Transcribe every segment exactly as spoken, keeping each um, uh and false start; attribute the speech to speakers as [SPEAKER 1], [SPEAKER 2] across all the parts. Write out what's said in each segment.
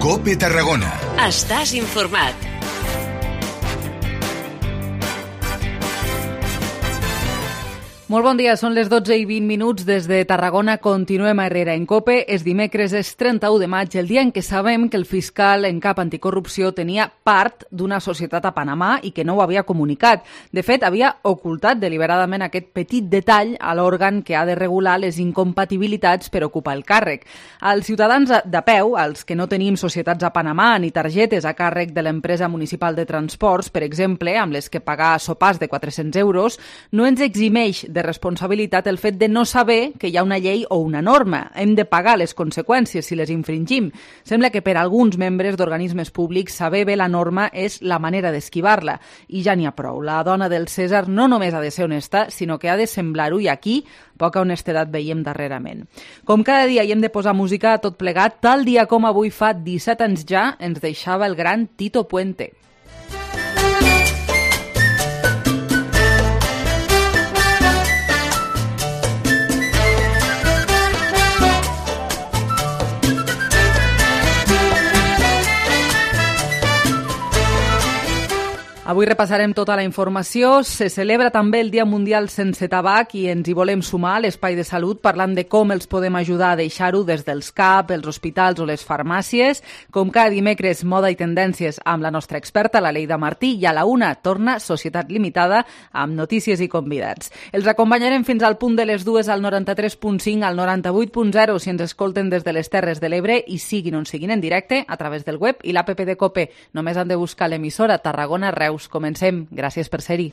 [SPEAKER 1] COPE Tarragona.
[SPEAKER 2] Estàs informat.
[SPEAKER 3] Molt bon dia, són les dotze i vint minuts des de Tarragona. Continuem a Herrera en COPE. És dimecres, és trenta-u de maig, el dia en què sabem que el fiscal en cap anticorrupció tenia part d'una societat a Panamà i que no ho havia comunicat. De fet, havia ocultat deliberadament aquest petit detall a l'òrgan que ha de regular les incompatibilitats per ocupar el càrrec. Els ciutadans de peu, els que no tenim societats a Panamà ni targetes a càrrec de l'empresa municipal de transports, per exemple, amb les que pagar sopars de quatre-cents euros, no ens eximeix de responsabilitat el fet de no saber que hi ha una llei o una norma. Hem de pagar les conseqüències si les infringim. Sembla que per alguns membres d'organismes públics saber bé la norma és la manera d'esquivar-la. I ja n'hi ha prou. La dona del Cèsar no només ha de ser honesta, sinó que ha de semblar-ho, i aquí poca honestedat veiem darrerament. Com cada dia hi hem de posar música a tot plegat, tal dia com avui fa disset anys ja ens deixava el gran Tito Puente. Avui repassarem tota la informació. Se celebra també el Dia Mundial Sense Tabac i ens hi volem sumar a l'Espai de Salut parlant de com els podem ajudar a deixar-ho des dels C A P, els hospitals o les farmàcies. Com cada dimecres, moda i tendències amb la nostra experta, la Leida Martí, i a la una torna Societat Limitada amb notícies i convidats. Els acompanyarem fins al punt de les dues al noranta-tres punt cinc, al noranta-vuit punt zero si ens escolten des de les Terres de l'Ebre i siguin on siguin en directe a través del web i l'app de COPE. Només han de buscar l'emissora Tarragona Reus. Comencem. Gràcies per ser-hi.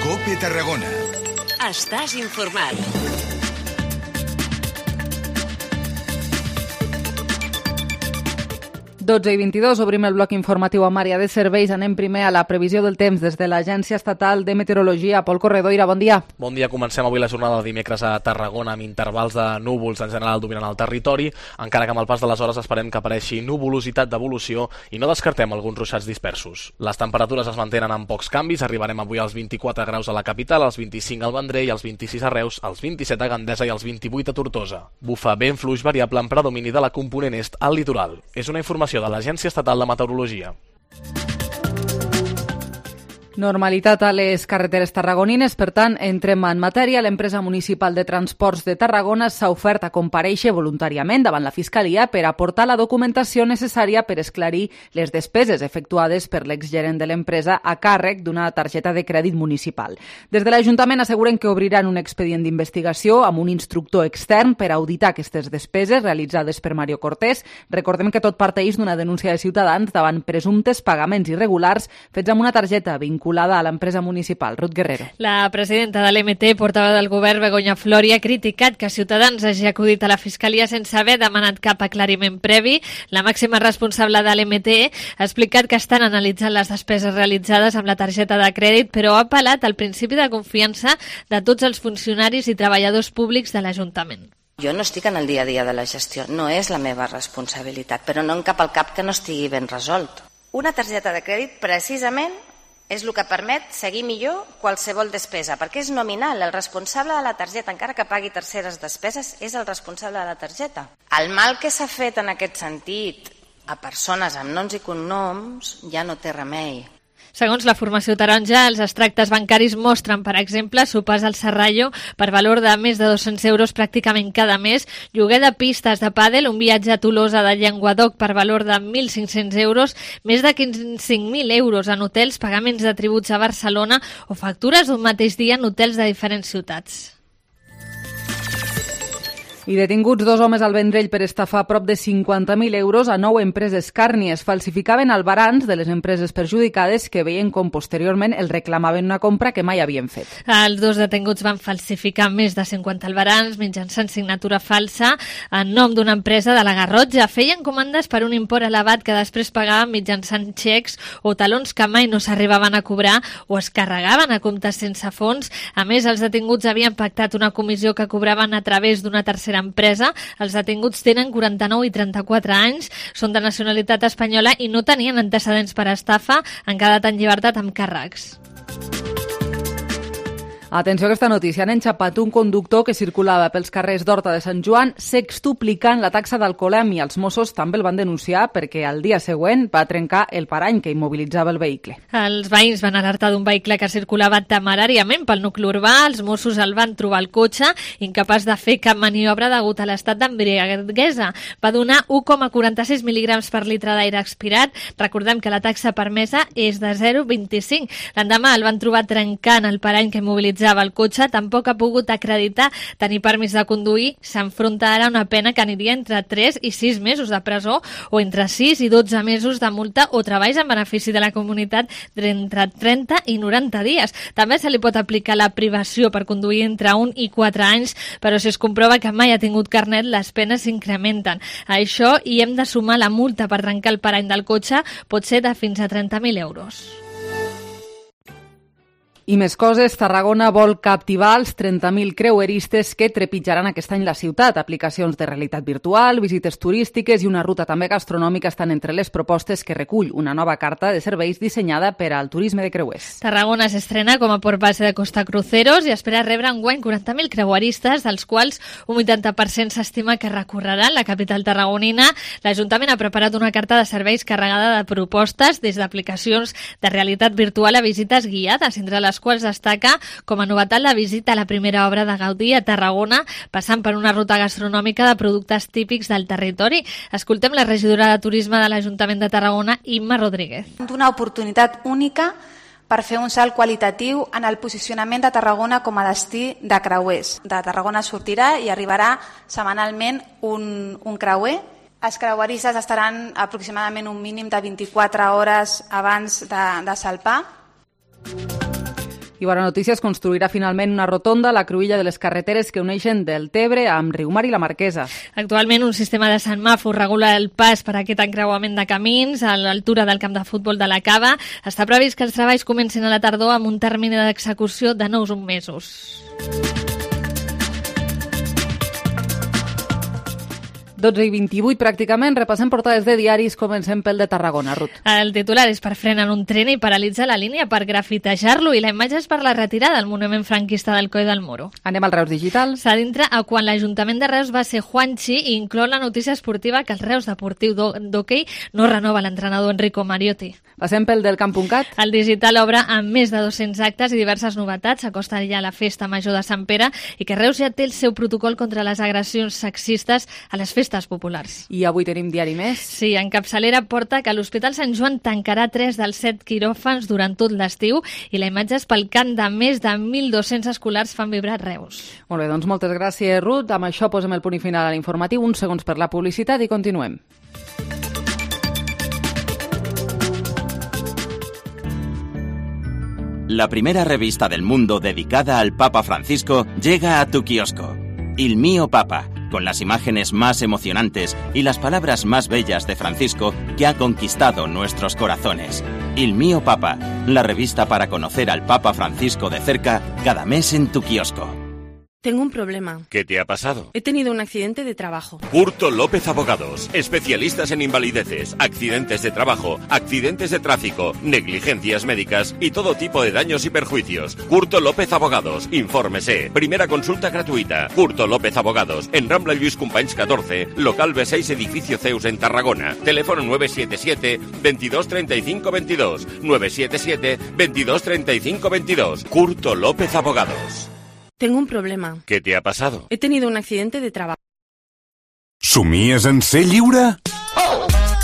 [SPEAKER 1] COPE Tarragona.
[SPEAKER 2] Estàs informat.
[SPEAKER 3] dotze i vint-i-dos, obrim el bloc informatiu amb àrea de serveis. Anem primer a la previsió del temps des de l'Agència Estatal de Meteorologia. Pol Corredoira, bon dia.
[SPEAKER 4] Bon dia, comencem avui la jornada de dimecres a Tarragona amb intervals de núvols en general dominant el territori, encara que amb el pas de les hores esperem que apareixi nuvolositat d'evolució i no descartem alguns ruixats dispersos. Les temperatures es mantenen amb pocs canvis, arribarem avui als vint-i-quatre graus a la capital, als vint-i-cinc al Vendrell, als vint-i-sis a Reus, als vint-i-set a Gandesa i als vint-i-vuit a Tortosa. Bufa vent fluix variable amb predomini de la component est al litoral. És una informació de l'Agència Estatal de Meteorologia.
[SPEAKER 3] Normalitat a les carreteres tarragonines, per tant, entrem en matèria. L'empresa municipal de transports de Tarragona s'ha ofert a comparèixer voluntàriament davant la Fiscalia per aportar la documentació necessària per esclarir les despeses efectuades per l'exgerent de l'empresa a càrrec d'una targeta de crèdit municipal. Des de l'Ajuntament asseguren que obriran un expedient d'investigació amb un instructor extern per auditar aquestes despeses realitzades per Mario Cortés. Recordem que tot parteix d'una denúncia de ciutadans davant presumptes pagaments irregulars fets amb una targeta vinculada vinculada a l'empresa municipal. Ruth Guerrero.
[SPEAKER 5] La presidenta de l'E M T, portaveu del govern, Begoña Flori, ha criticat que Ciutadans hagi acudit a la Fiscalia sense haver demanat cap aclariment previ. La màxima responsable de l'E M T ha explicat que estan analitzant les despeses realitzades amb la targeta de crèdit, però ha apel·lat al principi de confiança de tots els funcionaris i treballadors públics de l'Ajuntament.
[SPEAKER 6] Jo no estic en el dia a dia de la gestió, no és la meva responsabilitat, però no em cap al cap que no estigui ben resolt. Una targeta de crèdit precisament és el que permet seguir millor qualsevol despesa, perquè és nominal. El responsable de la targeta, encara que pagui terceres despeses, és el responsable de la targeta. El mal que s'ha fet en aquest sentit a persones amb noms i cognoms ja no té remei.
[SPEAKER 5] Segons la formació taronja, els extractes bancaris mostren, per exemple, sopars al Serrallo per valor de més de dos-cents euros pràcticament cada mes, lloguer de pistes de pàdel, un viatge a Tolosa de Llenguadoc per valor de mil cinc-cents euros, més de cinc mil euros en hotels, pagaments de tributs a Barcelona o factures d'un mateix dia en hotels de diferents ciutats.
[SPEAKER 3] I detinguts dos homes al Vendrell per estafar prop de cinquanta mil euros a nou empreses càrnies. Falsificaven albarans de les empreses perjudicades que veien com posteriorment els reclamaven una compra que mai havien fet.
[SPEAKER 5] Els dos detinguts van falsificar més de cinquanta albarans mitjançant signatura falsa en nom d'una empresa de la Garrotxa. Feien comandes per un import elevat que després pagaven mitjançant xecs o talons que mai no s'arribaven a cobrar o es carregaven a comptes sense fons. A més, els detinguts havien pactat una comissió que cobraven a través d'una tercera empresa. Els detinguts tenen quaranta-nou i trenta-quatre anys, són de nacionalitat espanyola i no tenien antecedents per estafa, han quedat en llibertat amb càrrecs.
[SPEAKER 3] Atenció a aquesta notícia. Han enxapat un conductor que circulava pels carrers d'Horta de Sant Joan sextuplicant la taxa d'alcoholèmia. Els Mossos també el van denunciar perquè al dia següent va trencar el parany que immobilitzava el vehicle.
[SPEAKER 5] Els veïns van alertar d'un vehicle que circulava temeràriament pel nucli urbà. Els Mossos el van trobar al cotxe, incapaç de fer cap maniobra degut a l'estat d'embriaguesa. Va donar u coma quaranta-sis mil·ligrams per litre d'aire expirat. Recordem que la taxa permesa és de zero coma vint-i-cinc. L'endemà el van trobar trencant el parany que immobilitzava el cotxe, tampoc ha pogut acreditar tenir permís de conduir. S'enfronta ara a una pena que aniria entre tres i sis mesos de presó o entre sis i dotze mesos de multa o treballs en benefici de la comunitat d'entre trenta i noranta dies. També se li pot aplicar la privació per conduir entre un i quatre anys, però si es comprova que mai ha tingut carnet, les penes s'incrementen. A això hi hem de sumar la multa per trencar el parany del cotxe, pot ser de fins a trenta mil euros.
[SPEAKER 3] I més coses, Tarragona vol captivar els trenta mil creueristes que trepitjaran aquest any la ciutat. Aplicacions de realitat virtual, visites turístiques i una ruta també gastronòmica estan entre les propostes que recull una nova carta de serveis dissenyada per al turisme de creuers.
[SPEAKER 5] Tarragona s'estrena com a port base de Costa Cruceros i espera rebre enguany quaranta mil creueristes, dels quals un vuitanta per cent s'estima que recorreran la capital tarragonina. L'Ajuntament ha preparat una carta de serveis carregada de propostes, des d'aplicacions de realitat virtual a visites guiades, entre les quals destaca com a novetat la visita a la primera obra de Gaudí a Tarragona, passant per una ruta gastronòmica de productes típics del territori. Escoltem la regidora de Turisme de l'Ajuntament de Tarragona, Imma Rodríguez.
[SPEAKER 7] Una oportunitat única per fer un salt qualitatiu en el posicionament de Tarragona com a destí de creuers. De Tarragona sortirà i arribarà setmanalment un, un creuer. Els creueristes estaran aproximadament un mínim de vint-i-quatre hores abans de, de salpar.
[SPEAKER 3] I bona notícia, es construirà finalment una rotonda a la cruïlla de les carreteres que uneixen del Tebre amb Riumar i la Marquesa.
[SPEAKER 5] Actualment un sistema de semàfor regula el pas per a aquest encreuament de camins a l'altura del camp de futbol de la Cava. Està previst que els treballs comencin a la tardor amb un termini d'execució de nou mesos.
[SPEAKER 3] dotze i vint-i-vuit pràcticament, repassem portades de diaris, comencem pel de Tarragona, Ruth.
[SPEAKER 5] El titular és per frenar un tren i paralitzar la línia per grafitejar-lo, i la imatge és per la retirada del monument franquista del Coll del Moro.
[SPEAKER 3] Anem al Reus Digital.
[SPEAKER 5] S'adentra a quan l'Ajuntament de Reus va ser Juanchi i inclou la notícia esportiva que el Reus Deportiu d'Hockey no renova l'entrenador Enrico Mariotti.
[SPEAKER 3] Passem pel del camp.cat.
[SPEAKER 5] El digital obre amb més de dos-cents actes i diverses novetats. S'acosta ja la festa major de Sant Pere i que Reus ja té el seu protocol contra les agressions sexistes a les festes populars.
[SPEAKER 3] I avui tenim diari més.
[SPEAKER 5] Sí, en capçalera porta que l'Hospital Sant Joan tancarà tres dels set quiròfans durant tot l'estiu i la imatge és pel cant de més de mil dos-cents escolars fan vibrar Reus.
[SPEAKER 3] Molt bé, doncs moltes gràcies, Ruth. Amb això posem el punt i final a l'informatiu. Uns segons per la publicitat i continuem.
[SPEAKER 8] La primera revista del mundo dedicada al Papa Francisco llega a tu kiosco. Il Mio Papa, con las imágenes más emocionantes y las palabras más bellas de Francisco que ha conquistado nuestros corazones. Il Mio Papa, la revista para conocer al Papa Francisco de cerca cada mes en tu kiosco.
[SPEAKER 9] Tengo un problema.
[SPEAKER 10] ¿Qué te ha pasado?
[SPEAKER 9] He tenido un accidente de trabajo.
[SPEAKER 10] Curto López Abogados, especialistas en invalideces, accidentes de trabajo, accidentes de tráfico, negligencias médicas y todo tipo de daños y perjuicios. Curto López Abogados, infórmese. Primera consulta gratuita. Curto López Abogados, en Rambla Lluís Companys catorce, local B seis, edificio Zeus en Tarragona. Teléfono nueve siete siete, veintidós treinta y cinco veintidós. nueve siete siete, veintidós treinta y cinco veintidós. Curto López Abogados.
[SPEAKER 9] Tengo un problema.
[SPEAKER 10] ¿Qué te ha pasado?
[SPEAKER 9] He tenido un accidente de trabajo.
[SPEAKER 1] Somies en ser lliure?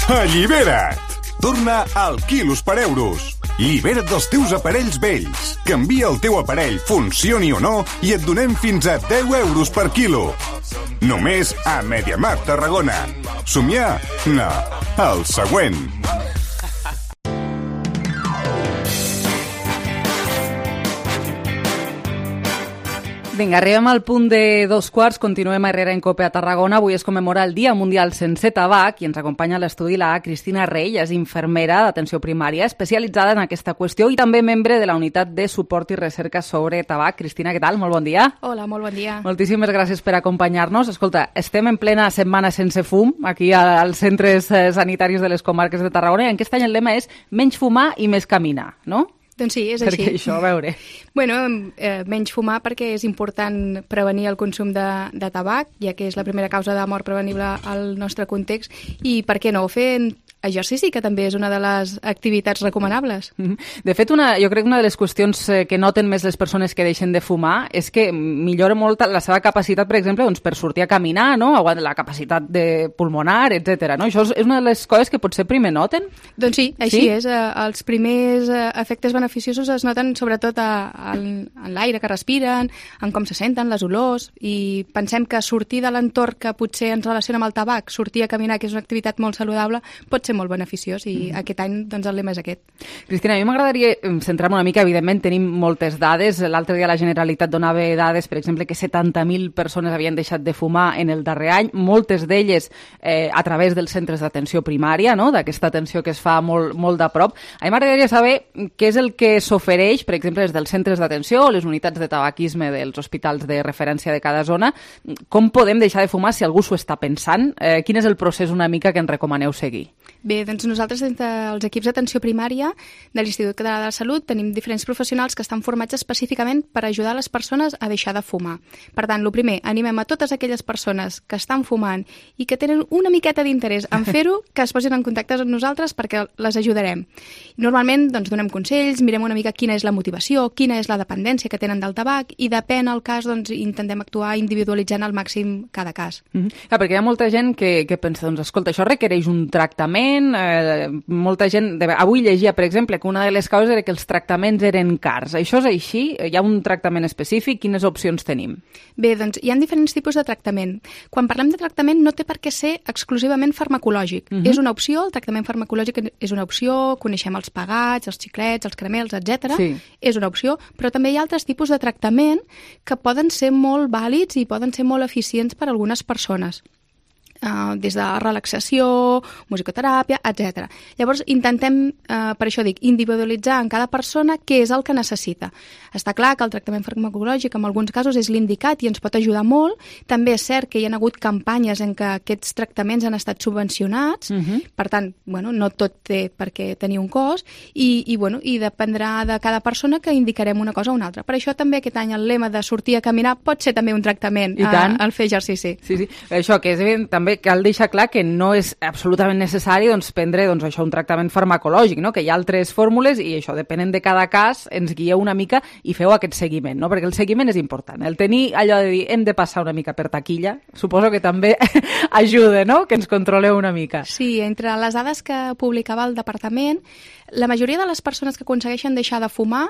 [SPEAKER 1] Allibera't! Torna al Quilos per Euros. Llibera't dels teus aparells vells. Canvia el teu aparell, funcioni o no, i et donem fins a deu euros per quilo. Només a MediaMarkt Tarragona. Somiar? No. El següent.
[SPEAKER 3] Vinga, arribem al punt de dos quarts, continuem a Herrera en Cope a Tarragona. Avui es commemora el Dia Mundial Sense Tabac i ens acompanya a l'estudi la Cristina Rey, és infermera d'atenció primària, especialitzada en aquesta qüestió i també membre de la unitat de suport i recerca sobre tabac. Cristina, què tal? Molt bon dia.
[SPEAKER 11] Hola, molt bon dia.
[SPEAKER 3] Moltíssimes gràcies per acompanyar-nos. Escolta, estem en plena setmana sense fum, aquí als centres sanitaris de les comarques de Tarragona, i aquest any el lema és menys fumar i més caminar, no?
[SPEAKER 11] Doncs sí, és
[SPEAKER 3] perquè
[SPEAKER 11] així.
[SPEAKER 3] Perquè això, a veure...
[SPEAKER 11] Bueno, eh, menys fumar perquè és important prevenir el consum de, de tabac, ja que és la primera causa de mort prevenible al nostre context, i per què no fer exercici, que també és una de les activitats recomanables.
[SPEAKER 3] De fet, una, jo crec que una de les qüestions que noten més les persones que deixen de fumar és que millora molt la seva capacitat, per exemple, doncs, per sortir a caminar, no? La capacitat de pulmonar, etcètera. No? Això és una de les coses que potser primer noten?
[SPEAKER 11] Doncs sí, així
[SPEAKER 3] sí?
[SPEAKER 11] és. Els primers efectes beneficiosos es noten sobretot a, a, en l'aire que respiren, en com se senten, les olors, i pensem que sortir de l'entorn que potser ens relaciona amb el tabac, sortir a caminar, que és una activitat molt saludable, pot ser molt beneficiós, i mm. aquest any doncs, el lema és aquest.
[SPEAKER 3] Cristina, a mi m'agradaria centrar-me una mica, evidentment tenim moltes dades. L'altre dia la Generalitat donava dades, per exemple, que setanta mil persones havien deixat de fumar en el darrer any, moltes d'elles eh, a través dels centres d'atenció primària, no? D'aquesta atenció que es fa molt, molt de prop. A mi m'agradaria saber què és el que s'ofereix, per exemple, des dels centres d'atenció o les unitats de tabaquisme dels hospitals de referència de cada zona. Com podem deixar de fumar si algú s'ho està pensant? Eh, quin és el procés una mica que ens recomaneu seguir?
[SPEAKER 11] Bé, doncs nosaltres des dels equips d'atenció primària de l'Institut Català de la Salut tenim diferents professionals que estan formats específicament per ajudar les persones a deixar de fumar. Per tant, el primer, animem a totes aquelles persones que estan fumant i que tenen una miqueta d'interès en fer-ho, que es posin en contacte amb nosaltres perquè les ajudarem. Normalment doncs, donem consells, mirem una mica quina és la motivació, quina és la dependència que tenen del tabac, i depèn el cas, doncs, intentem actuar individualitzant al màxim cada cas.
[SPEAKER 3] Mm-hmm. Clar, perquè hi ha molta gent que, que pensa, doncs, escolta, això requereix un tractament. Eh, molta gent... De... Avui llegia, per exemple, que una de les causes era que els tractaments eren cars. Això és així? Hi ha un tractament específic? Quines opcions tenim?
[SPEAKER 11] Bé, doncs hi ha diferents tipus de tractament. Quan parlem de tractament no té per què ser exclusivament farmacològic. Uh-huh. És una opció, el tractament farmacològic és una opció, coneixem els pegats, els xiclets, els caramels, etcètera. Sí. És una opció, però també hi ha altres tipus de tractament que poden ser molt vàlids i poden ser molt eficients per a algunes persones. Uh, des de relaxació, musicoteràpia, etcètera. Llavors, intentem, uh, per això dic, individualitzar en cada persona què és el que necessita. Està clar que el tractament farmacològic en alguns casos és l'indicat i ens pot ajudar molt. També és cert que hi ha hagut campanyes en què aquests tractaments han estat subvencionats, uh-huh. per tant, bueno, no tot té per què tenir un cost, i, i, bueno, i dependrà de cada persona que indicarem una cosa o una altra. Per això també aquest any el lema de sortir a caminar pot ser també un tractament a, al fer exercici.
[SPEAKER 3] Sí, sí. Això que és evident, també cal deixar clar que no és absolutament necessari doncs, prendre doncs, això, un tractament farmacològic, no? Que hi ha altres fórmules i això, depenent de cada cas, ens guieu una mica i feu aquest seguiment, no? Perquè el seguiment és important. El tenir allò de dir hem de passar una mica per taquilla, suposo que també ajuda, no? Que ens controleu una mica.
[SPEAKER 11] Sí, entre les dades que publicava el departament, la majoria de les persones que aconsegueixen deixar de fumar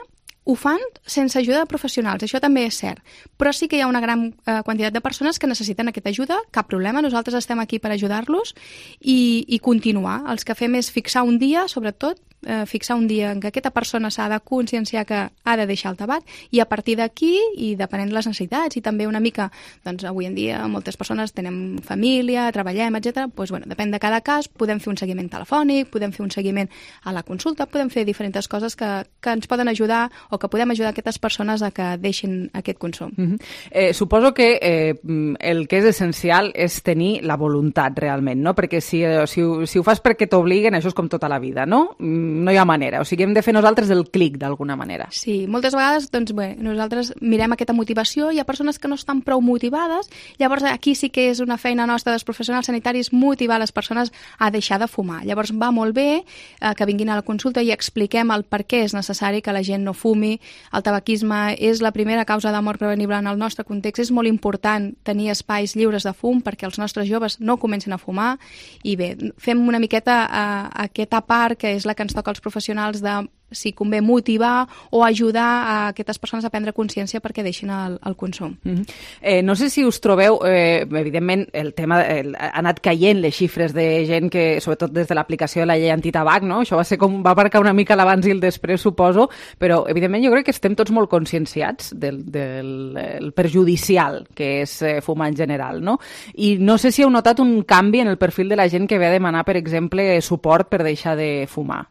[SPEAKER 11] ho fan sense ajuda de professionals, això també és cert, però sí que hi ha una gran eh, quantitat de persones que necessiten aquesta ajuda, cap problema, nosaltres estem aquí per ajudar-los i, i continuar. Els que fem és fixar un dia, sobretot, eh, fixar un dia en què aquesta persona s'ha de conscienciar que ha de deixar el tabac, i a partir d'aquí, i depenent de les necessitats, i també una mica, doncs avui en dia moltes persones tenen família, treballem, etcètera, doncs bueno, depèn de cada cas, podem fer un seguiment telefònic, podem fer un seguiment a la consulta, podem fer diferents coses que, que ens poden ajudar o que podem ajudar aquestes persones a que deixin aquest consum.
[SPEAKER 3] Mm-hmm. eh, suposo que eh, el que és essencial és tenir la voluntat realment, no? Perquè si, si, si ho fas perquè t'obliguen, això és com tota la vida, no? No hi ha manera, o sigui, hem de fer nosaltres el clic d'alguna manera.
[SPEAKER 11] Sí, moltes vegades doncs, bé, nosaltres mirem aquesta motivació, hi ha persones que no estan prou motivades, llavors aquí sí que és una feina nostra dels professionals sanitaris motivar les persones a deixar de fumar. Llavors va molt bé eh, que vinguin a la consulta i expliquem el per què és necessari que la gent no fumi. El tabaquisme és la primera causa de mort prevenible en el nostre context, és molt important tenir espais lliures de fum perquè els nostres joves no comencin a fumar, i bé, fem una miqueta eh, aquesta part que és la que ens toca als professionals de si convé motivar o ajudar a aquestes persones a prendre consciència perquè deixin el, el consum.
[SPEAKER 3] Mm-hmm. eh, no sé si us trobeu, eh, evidentment el tema el, ha anat caient les xifres de gent que, sobretot des de l'aplicació de la llei antitabac, no? Això va ser com va marcar una mica l'abans i el després, suposo, però evidentment jo crec que estem tots molt conscienciats del, del el perjudicial que és eh, fumar en general, no? I no sé si heu notat un canvi en el perfil de la gent que ve a demanar, per exemple, suport per deixar de fumar.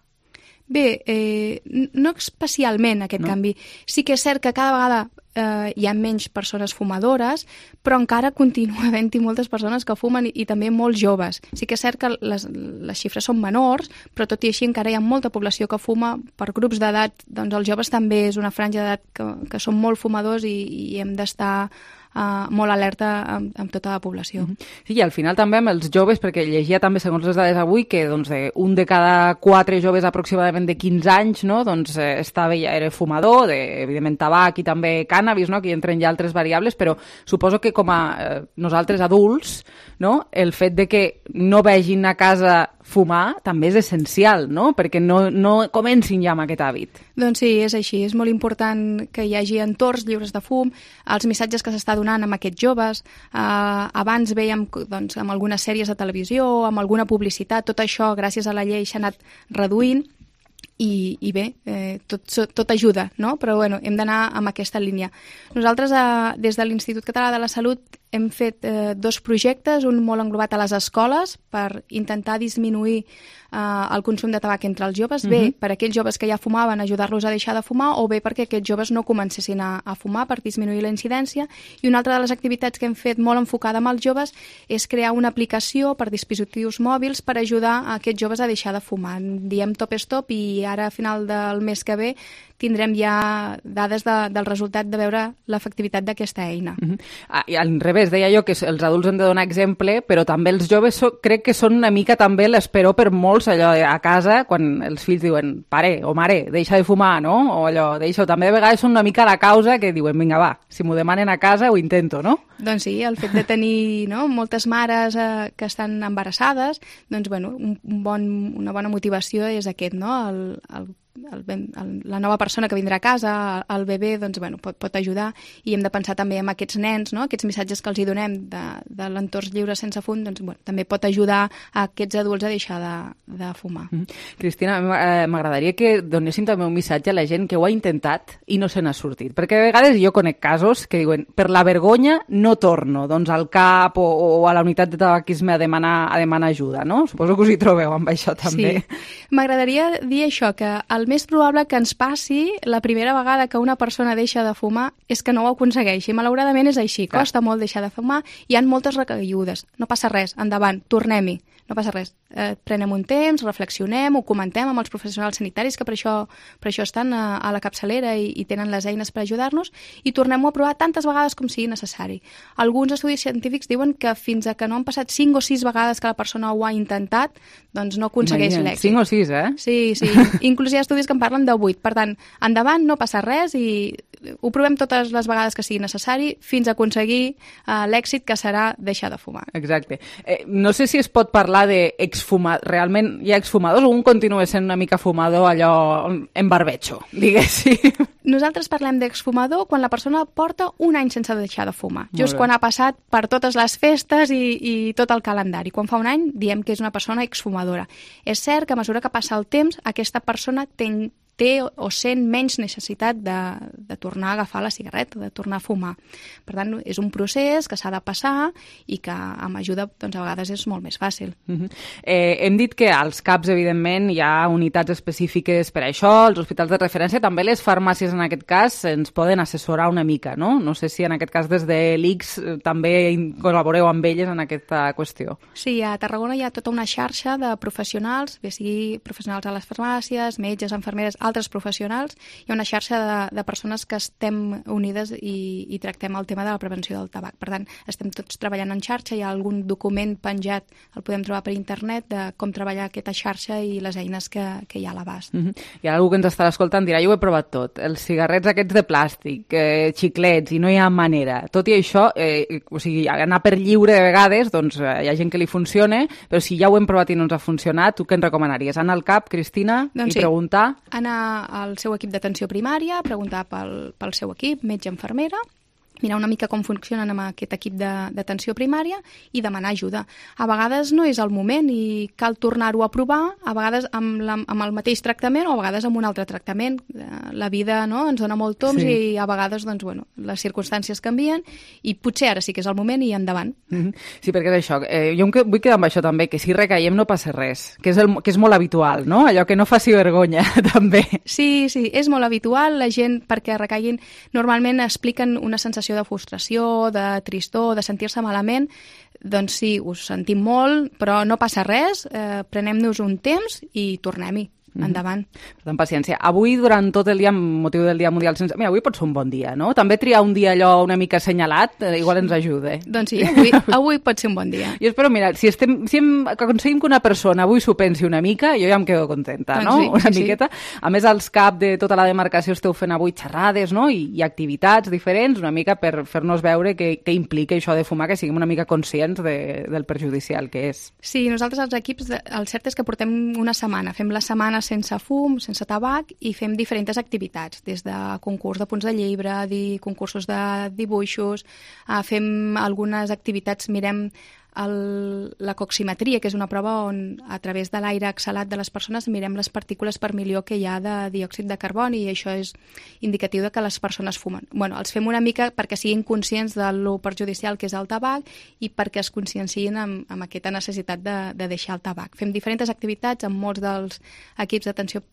[SPEAKER 11] Bé, eh, no especialment aquest no? canvi. Sí que és cert que cada vegada eh, hi ha menys persones fumadores, però encara continua havent-hi moltes persones que fumen i, i també molts joves. Sí que és cert que les, les xifres són menors, però tot i així encara hi ha molta població que fuma per grups d'edat. Doncs els joves també és una franja d'edat que, que són molt fumadors i, i hem d'estar Uh, molt alerta amb, amb tota la població.
[SPEAKER 3] Sí, i al final també amb els joves, perquè llegia també segons les dades avui que doncs, de, un de cada quatre joves aproximadament de quinze anys, no? doncs, eh, estava ja era fumador, de, evidentment tabac i també cànnabis, no? que hi entren ja altres variables, però suposo que com a eh, nosaltres adults, no? el fet de que no vegin a casa fumar també és essencial, no? perquè no, no comencin ja amb aquest hàbit.
[SPEAKER 11] Doncs sí, és així. És molt important que hi hagi entorns lliures de fum, els missatges que s'està donant amb aquests joves. Uh, abans veiem doncs, amb algunes sèries de televisió, amb alguna publicitat, tot això, gràcies a la llei, s'ha anat reduint. I, i bé, eh, tot, tot ajuda, no? Però bueno, hem d'anar amb aquesta línia. Nosaltres, eh, des de l'Institut Català de la Salut, hem fet eh, dos projectes, un molt englobat a les escoles per intentar disminuir eh, el consum de tabac entre els joves, uh-huh. bé per aquells joves que ja fumaven, ajudar-los a deixar de fumar, o bé perquè aquests joves no comencessin a, a fumar per disminuir la incidència. I una altra de les activitats que hem fet molt enfocada amb els joves és crear una aplicació per dispositius mòbils per ajudar a aquests joves a deixar de fumar. En diem Top Stop i ara a final del mes que ve tindrem ja dades de, del resultat de veure l'efectivitat d'aquesta eina.
[SPEAKER 3] Uh-huh. Ah, i al revés, deia jo que els adults han de donar exemple, però també els joves so, crec que són una mica també l'esperó per molts allò a casa, quan els fills diuen pare o mare, deixa de fumar, no? O allò, deixa-ho. També de vegades són una mica la causa que diuen, vinga, va, si m'ho demanen a casa ho intento, no?
[SPEAKER 11] Doncs sí, el fet de tenir no, moltes mares eh, que estan embarassades, doncs bueno, un, un bon, una bona motivació és aquest, no? El, el El, el, la nova persona que vindrà a casa, el bebè, doncs, bueno, pot, pot ajudar, i hem de pensar també en aquests nens, no? Aquests missatges que els hi donem de, de l'entorn lliure sense fum, doncs, bueno, també pot ajudar a aquests adults a deixar de, de fumar.
[SPEAKER 3] Mm. Cristina, m'agradaria que donéssim també un missatge a la gent que ho ha intentat i no se n'ha sortit, perquè a vegades jo conec casos que diuen, per la vergonya no torno doncs, al CAP o, o a la unitat de tabaquisme a demanar, a demanar ajuda, no? Suposo que us hi trobeu amb això també.
[SPEAKER 11] Sí, m'agradaria dir això, que el més probable que ens passi la primera vegada que una persona deixa de fumar és que no ho aconsegueixi. Malauradament és així. Clar. Costa molt deixar de fumar. Hi ha moltes recaigudes. No passa res. Endavant. Tornem-hi. No passa res. Eh, prenem un temps, reflexionem, ho comentem amb els professionals sanitaris que per això, per això estan a, a la capçalera i, i tenen les eines per ajudar-nos, i tornem-ho a provar tantes vegades com sigui necessari. Alguns estudis científics diuen que fins a que no han passat cinc o sis vegades que la persona ho ha intentat, doncs no aconsegueix l'èxit.
[SPEAKER 3] cinc o sis, eh?
[SPEAKER 11] Sí, sí. Inclús hi ha estudis que en parlen de vuit. Per tant, endavant, no passa res i ho provem totes les vegades que sigui necessari fins a aconseguir uh, l'èxit que serà deixar de fumar.
[SPEAKER 3] Exacte. Eh, no sé si es pot parlar d'exfumador. Realment hi ha exfumadors o un continua sent una mica fumador allò en barbecho, diguéssim?
[SPEAKER 11] Nosaltres parlem d'exfumador quan la persona porta un any sense deixar de fumar. Just quan ha passat per totes les festes i, i tot el calendari. Quan fa un any diem que és una persona exfumadora. És cert que a mesura que passa el temps aquesta persona té té o sent menys necessitat de, de tornar a agafar la cigarreta, de tornar a fumar. Per tant, és un procés que s'ha de passar i que amb ajuda doncs, a vegades és molt més fàcil.
[SPEAKER 3] Uh-huh. eh, hem dit que als CAPs, evidentment, hi ha unitats específiques per a això, els hospitals de referència, també les farmàcies, en aquest cas, ens poden assessorar una mica, no? No sé si en aquest cas des de l'I C S també col·laboreu amb elles en aquesta qüestió.
[SPEAKER 11] Sí, a Tarragona hi ha tota una xarxa de professionals, bé sigui professionals a les farmàcies, metges, infermeres, altres professionals. Hi ha una xarxa de, de persones que estem unides i, i tractem el tema de la prevenció del tabac. Per tant, estem tots treballant en xarxa, hi ha algun document penjat, el podem trobar per internet, de com treballar aquesta xarxa i les eines que, que hi ha a l'abast.
[SPEAKER 3] Mm-hmm. Hi ha algú que ens estarà escoltant, dirà, jo ho he provat tot, els cigarrets aquests de plàstic, eh, xiclets, i no hi ha manera. Tot i això, eh, o sigui, anar per lliure de vegades, doncs eh, hi ha gent que li funciona, però si ja ho hem provat i no ens ha funcionat, tu què ens recomanaries? Anar al CAP, Cristina,
[SPEAKER 11] doncs
[SPEAKER 3] i
[SPEAKER 11] sí.
[SPEAKER 3] preguntar?
[SPEAKER 11] Anar al seu equip d'atenció primària, preguntar pel, pel seu equip, metge, infermera, mirar una mica com funcionen amb aquest equip d'atenció primària i demanar ajuda. A vegades no és el moment i cal tornar-ho a provar, a vegades amb, la, amb el mateix tractament o a vegades amb un altre tractament. La vida, no?, ens dona molt toms, sí. I a vegades doncs, bueno, les circumstàncies canvien i potser ara sí que és el moment i endavant.
[SPEAKER 3] Mm-hmm. Sí, perquè és això. Eh, jo em vull quedar amb això també, que si recaiem no passa res, que és, el, que és molt habitual, no? Allò que no faci vergonya, també.
[SPEAKER 11] Sí, sí, és molt habitual. La gent, perquè recaiguin, normalment expliquen una sensació de frustració, de tristor, de sentir-se malament, doncs sí, us sentim molt, però no passa res, eh, prenem-nos un temps i tornem-hi. Endavant.
[SPEAKER 3] Per tant, paciència. Avui, durant tot el dia, amb motiu del Dia Mundial sense... Mira, avui pot ser un bon dia, no? També triar un dia allò una mica assenyalat, eh, igual ens ajuda. Eh?
[SPEAKER 11] Doncs sí, avui, avui pot ser un bon dia.
[SPEAKER 3] Jo espero, mira, si, estem, si hem, aconseguim que una persona avui s'ho pensi una mica, jo ja em quedo contenta, doncs no? Sí, una sí, miqueta. Sí. A més, als cap de tota la demarcació esteu fent avui xerrades, no? I, i activitats diferents, una mica per fer-nos veure què, què implica això de fumar, que siguem una mica conscients de, del perjudicial que és.
[SPEAKER 11] Sí, nosaltres els equips, el cert és que portem una setmana, fem la setmana sense fum, sense tabac, i fem diferents activitats, des de concurs de punts de llibre, di, concursos de dibuixos, eh, fem algunes activitats, mirem el, la coximetria, que és una prova on a través de l'aire exhalat de les persones mirem les partícules per milió que hi ha de diòxid de carboni, i això és indicatiu de que les persones fumen. Bueno, els fem una mica perquè siguin conscients de lo perjudicial que és el tabac i perquè es consciencien amb, amb aquesta necessitat de, de deixar el tabac. Fem diferents activitats amb molts dels equips d'atenció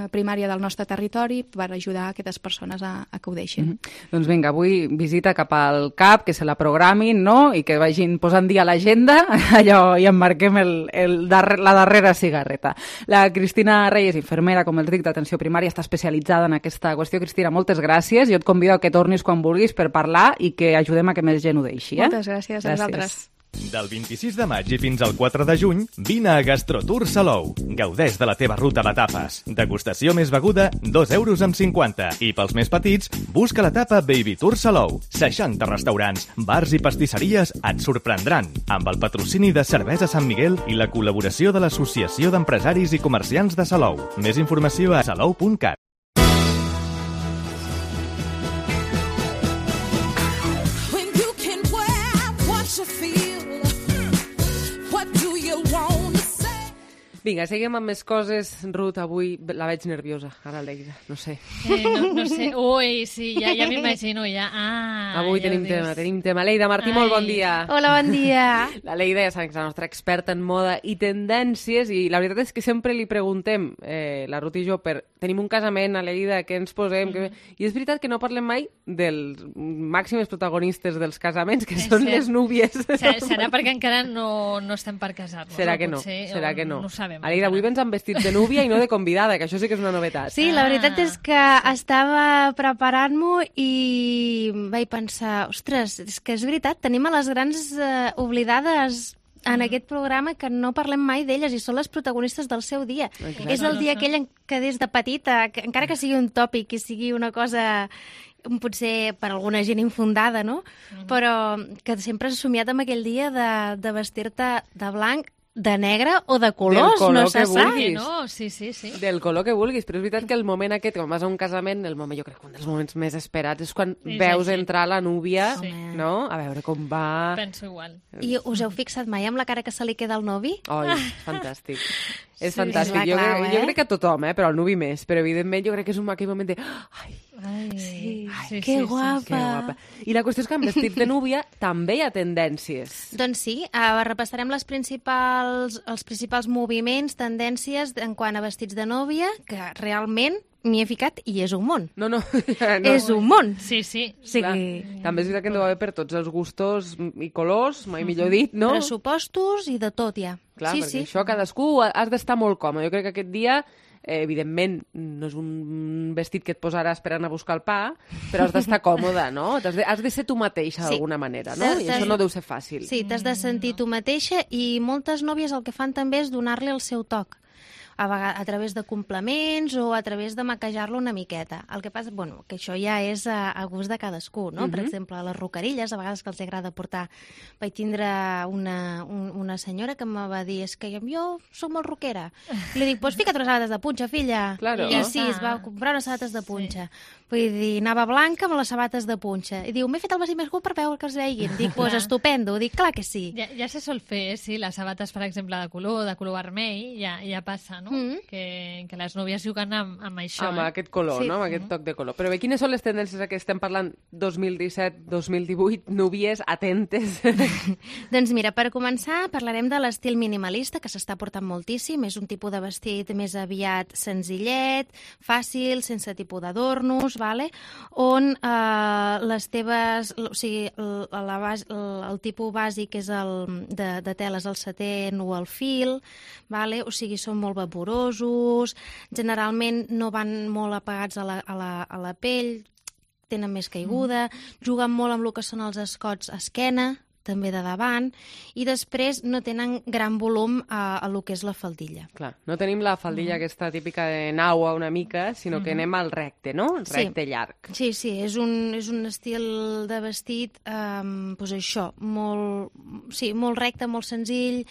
[SPEAKER 11] primària del nostre territori per ajudar aquestes persones a, a que ho deixin.
[SPEAKER 3] Mm-hmm. Doncs vinga, avui visita cap al C A P, que se la programin, no?, i que vagin posant dia a l'agenda, allò, i emmarquem el, el darrer, la darrera cigarreta. La Cristina Reyes, infermera, com els dic, d'atenció primària, està especialitzada en aquesta qüestió. Cristina, moltes gràcies. Jo et convido a que tornis quan vulguis per parlar i que ajudem a que més gent ho deixi. Eh?
[SPEAKER 11] Moltes gràcies, gràcies a vosaltres.
[SPEAKER 12] Del vint-i-sis de maig i fins al quatre de juny, vine a Gastrotour Salou. Gaudeix de la teva ruta de tapes. Degustació més beguda, dos euros amb cinquanta. I pels més petits, busca la tapa Baby Tour Salou. seixanta restaurants, bars i pastisseries et sorprendran. Amb el patrocini de Cervesa Sant Miguel i la col·laboració de l'Associació d'Empresaris i Comerciants de Salou. Més informació a salou punt cat.
[SPEAKER 3] Vinga, seguim amb més coses. Ruth, avui la veig nerviosa, ara l'Eira, no sé.
[SPEAKER 5] Eh, no, no sé, ui, sí, ja, ja m'imagino, ja. Ah,
[SPEAKER 3] avui
[SPEAKER 5] ja
[SPEAKER 3] tenim tema, tenim tema. Leida Martí, Ai. Molt bon dia.
[SPEAKER 7] Hola, bon dia.
[SPEAKER 3] La Leida, ja sabem que és la nostra experta en moda i tendències, i la veritat és que sempre li preguntem, eh, la Ruth i jo, per tenim un casament a Leida, què ens posem? Mm. Que... I és veritat que no parlem mai dels màxims protagonistes dels casaments, que és són cert. Les núvies.
[SPEAKER 5] Serà perquè encara no, no estem per casar-nos.
[SPEAKER 3] Serà
[SPEAKER 5] no?
[SPEAKER 3] que no,
[SPEAKER 5] Potser,
[SPEAKER 3] serà que no.
[SPEAKER 5] No ho sabem.
[SPEAKER 3] Aleida, avui vens amb vestit de núvia i no de convidada, que això sí que és una novetat.
[SPEAKER 7] Sí, la veritat és que estava preparant-m'ho i vaig pensar, ostres, és que és veritat, tenim a les grans eh, oblidades en aquest programa que no parlem mai d'elles i són les protagonistes del seu dia. Exacte. És el dia aquell en què des de petita, que, encara que sigui un tòpic i sigui una cosa potser per alguna gent infundada, no? Mm. Però que sempre has somiat amb aquell dia de, de vestir-te de blanc, de negre o de colors,
[SPEAKER 3] color
[SPEAKER 7] no se sap.
[SPEAKER 5] No, sí, sí, sí.
[SPEAKER 3] Del color que vulguis, però és veritat que el moment aquest, quan vas a un casament, el moment, jo crec que un dels moments més esperats és quan és veus així. Entrar la núvia, sí. No? A veure com va...
[SPEAKER 5] Penso igual.
[SPEAKER 7] I us heu fixat mai amb la cara que se li queda al novi?
[SPEAKER 3] Oi, fantàstic. És sí, fantàstic. És jo, clau, crec, eh? jo crec que a tothom, eh? Però al nuvi més. Però evidentment jo crec que és un aquell moment de... Ai,
[SPEAKER 7] Ai, sí,
[SPEAKER 3] ai,
[SPEAKER 7] sí, que, sí, guapa.
[SPEAKER 3] Sí, que guapa. I la qüestió és que amb vestit de núvia també hi ha tendències.
[SPEAKER 7] Doncs sí, uh, repassarem les principals, els principals moviments, tendències en quant a vestits de núvia, que realment m'hi he ficat i és un món.
[SPEAKER 3] No, no.
[SPEAKER 7] no. És un món.
[SPEAKER 5] Sí, sí.
[SPEAKER 7] sí.
[SPEAKER 3] Clar, també és veritat que en deu haver per tots els gustos i colors, mai millor dit, no?
[SPEAKER 7] Pressupostos i de tot, ja.
[SPEAKER 3] Clar,
[SPEAKER 7] sí,
[SPEAKER 3] perquè
[SPEAKER 7] sí.
[SPEAKER 3] això cadascú has d'estar molt còmode. Jo crec que aquest dia, eh, evidentment, no és un vestit que et posarà esperant a buscar el pa, però has d'estar còmode, no? Has de, has de ser tu mateixa sí. d'alguna manera, no? I això no deu ser fàcil.
[SPEAKER 7] Sí, t'has de sentir tu mateixa i moltes nòvies el que fan també és donar-li el seu toc.
[SPEAKER 13] a, vegades, a través de complements o a través de maquejar-lo una miqueta. El que passa, bueno, que això ja és a, a gust de cadascú, no? Uh-huh. Per exemple, les rocarilles, a vegades que els agrada portar... Vaig tindre una, un, una senyora que em va dir, és que jo soc molt roquera. I li dic, doncs fica't unes sabates de punxa, filla.
[SPEAKER 14] Claro.
[SPEAKER 13] I sí, es va comprar unes sabates de punxa. Sí. Vull dir, anava blanca amb les sabates de punxa. I diu, m'he fet el vestit més curt per veure que es veiguin. Dic, doncs estupendo. Dic, clar que sí.
[SPEAKER 5] Ja, ja se sol fer, sí, les sabates, per exemple, de color, de color vermell, ja, ja passa, no? Mm. Que, que les núvies juguen amb, amb això.
[SPEAKER 14] Amb
[SPEAKER 5] eh?
[SPEAKER 14] aquest color, sí. no? Amb aquest toc de color. Però bé, quines són les tendències que estem parlant dos mil disset dos mil divuit? Núvies, atentes.
[SPEAKER 13] Doncs mira, per començar, parlarem de l'estil minimalista, que s'està portant moltíssim. És un tipus de vestit més aviat senzillet, fàcil, sense tipus d'adornos, vale? On eh, les teves... O sigui, el, la base, el, el tipus bàsic és el de, de teles el setén o el fil, vale? O sigui, són molt vaporosos, generalment no van molt apagats a la, a la, a la pell, tenen més caiguda, mm. juguen molt amb el que són els escots a esquena, també de davant, i després no tenen gran volum a, a lo que és la faldilla.
[SPEAKER 14] Clar, no tenim la faldilla mm. aquesta típica de naua una mica, sinó que mm. anem al recte, no? Recte
[SPEAKER 13] sí.
[SPEAKER 14] llarg.
[SPEAKER 13] Sí, sí, és un, és un estil de vestit, um, doncs això, molt, sí, molt recte, molt senzill,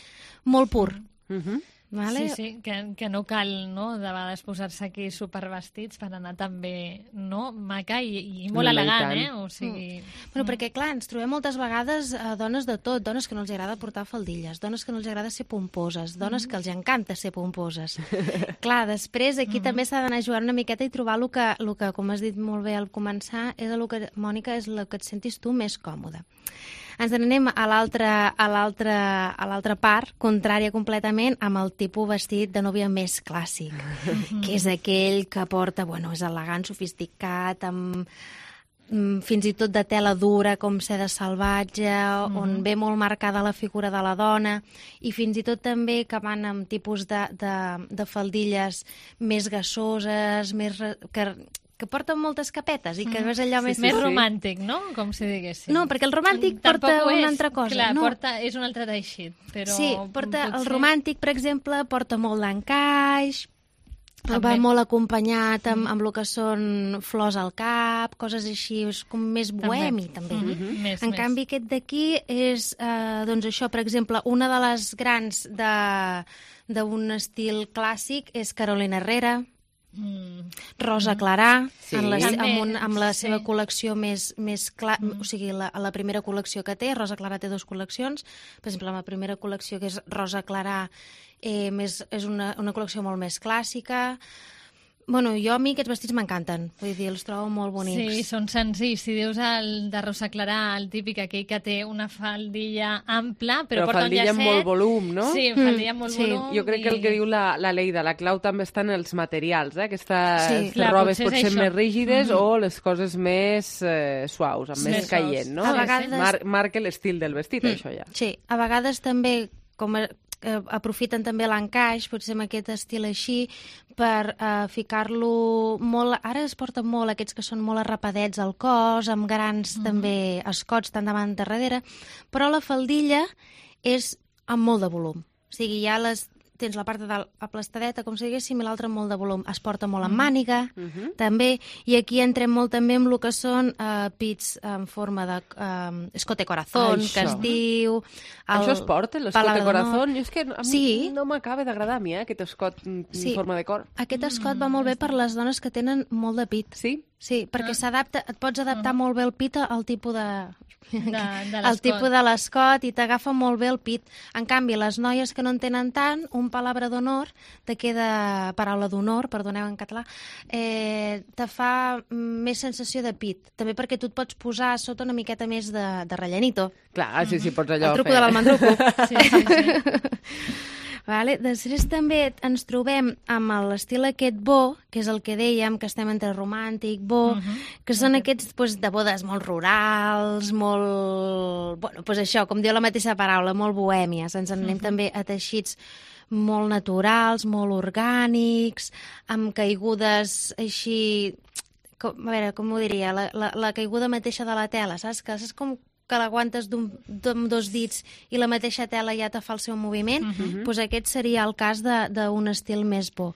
[SPEAKER 13] molt pur.
[SPEAKER 14] Mm-hmm.
[SPEAKER 5] Vale? Sí, sí, que, que no cal, no?, de vegades posar-se aquí supervestits per anar també, no?, maca i, i molt no, elegant, eh? O sigui...
[SPEAKER 13] Mm. Bueno, perquè, clar, ens trobem moltes vegades eh, dones de tot, dones que no els agrada portar faldilles, dones que no els agrada ser pomposes, dones mm. que els encanta ser pomposes. Clar, després aquí mm. també s'ha d'anar jugant una miqueta i trobar el que, el que, com has dit molt bé al començar, és el que, Mònica, és el que et sentis tu més còmode. Ens n'anem a l'altra a l'altra a l'altra part, contrària completament, amb el tipus vestit de nòvia més clàssic, que és aquell que porta, bueno, és elegant, sofisticat, amb fins i tot de tela dura, com seda salvatge, mm-hmm. on ve molt marcada la figura de la dona, i fins i tot també que van amb tipus de, de, de faldilles més gassoses, més... que, que porten moltes capetes i que
[SPEAKER 5] mm.
[SPEAKER 13] és allò
[SPEAKER 5] sí,
[SPEAKER 13] més...
[SPEAKER 5] Més romàntic, no? Com si diguéssim.
[SPEAKER 13] No, perquè el romàntic porta una altra cosa.
[SPEAKER 5] Clar,
[SPEAKER 13] no.
[SPEAKER 5] porta, és un altre teixit, però...
[SPEAKER 13] Sí, porta,
[SPEAKER 5] potser...
[SPEAKER 13] el romàntic, per exemple, porta molt d'encaix, va molt acompanyat amb, amb el que són flors al cap, coses així, és com més bohemi, també. també. Mm-hmm. Més, en més. canvi, aquest d'aquí és, eh, doncs això, per exemple, una de les grans d'un estil clàssic és Carolina Herrera, Mm. Rosa Clarà, sí. en la, amb, un, amb la sí. seva col·lecció més, més clar, mm. o sigui, la, la primera col·lecció que té, Rosa Clarà té dues col·leccions, per exemple, la primera col·lecció, que és Rosa Clarà, eh, més, és una, una col·lecció molt més clàssica. Bueno, jo a mi aquests vestits m'encanten, vull dir, els trobo molt bonics.
[SPEAKER 5] Sí, són senzills. Si dius el de Rosa Clarà, el típic aquell que té una faldilla ampla, però, però porta un llacet...
[SPEAKER 14] Però faldilla amb molt volum, no?
[SPEAKER 5] Sí, faldilla amb molt
[SPEAKER 14] sí.
[SPEAKER 5] volum.
[SPEAKER 14] Jo crec i... que el que diu la, la Leida, la clau també està en els materials, eh? Aquestes
[SPEAKER 5] sí, clar,
[SPEAKER 14] robes
[SPEAKER 5] potser,
[SPEAKER 14] potser més rígides
[SPEAKER 5] mm-hmm.
[SPEAKER 14] o les coses més eh, suaus, amb sí, més caient, no?
[SPEAKER 13] A vegades...
[SPEAKER 14] Mar marca l'estil del vestit, mm. això ja.
[SPEAKER 13] Sí, a vegades també, com a... Eh, aprofiten també l'encaix, potser amb aquest estil així, per eh, ficar-lo molt... Ara es porten molt aquests que són molt arrapadets al cos, amb grans mm-hmm. també escots tant davant de darrere, però la faldilla és amb molt de volum. O sigui, ja les... tens la part de dalt aplastadeta, com si diguéssim, i l'altra molt de volum. Es porta molt amb màniga, mm-hmm. també, i aquí entrem molt també amb el que són uh, pits en forma de uh, escote corazón, que es diu... El...
[SPEAKER 14] Això es porta, l'escote corazón? Jo és que a mi
[SPEAKER 13] sí.
[SPEAKER 14] no m'acaba d'agradar a mi, eh, aquest escot en
[SPEAKER 13] sí.
[SPEAKER 14] forma de cor.
[SPEAKER 13] Aquest escot mm. va molt bé per les dones que tenen molt de pit.
[SPEAKER 14] Sí?
[SPEAKER 13] Sí, perquè ah. s'adapta, et pots adaptar ah. molt bé el pit al tipus de...
[SPEAKER 5] de, de
[SPEAKER 13] el tipus de l'escot i t'agafa molt bé el pit. En canvi, les noies que no en tenen tant, un palabra d'honor, te queda paraula d'honor, perdoneu en català, eh, te fa més sensació de pit. També perquè tu et pots posar sota una miqueta més de, de rellenito.
[SPEAKER 14] Clar, sí, sí, pots allò
[SPEAKER 13] el truco
[SPEAKER 14] fer.
[SPEAKER 13] de l'almendruco. Sí, sí, sí. Vale. Després també ens trobem amb l'estil aquest bo, que és el que dèiem, que estem entre romàntic, bo, uh-huh. que són okay. aquests pues, de bodes molt rurals, molt... Bueno, pues això, com diu la mateixa paraula, molt bohèmies. Ens en anem uh-huh. també a teixits molt naturals, molt orgànics, amb caigudes així... Com, a veure, com ho diria? La, la, la caiguda mateixa de la tela, saps? Que és com que l'aguantes d'un- amb dos dits i la mateixa tela ja te fa el seu moviment,
[SPEAKER 14] Mhm.
[SPEAKER 13] doncs aquest seria el cas de- d'un estil més bo.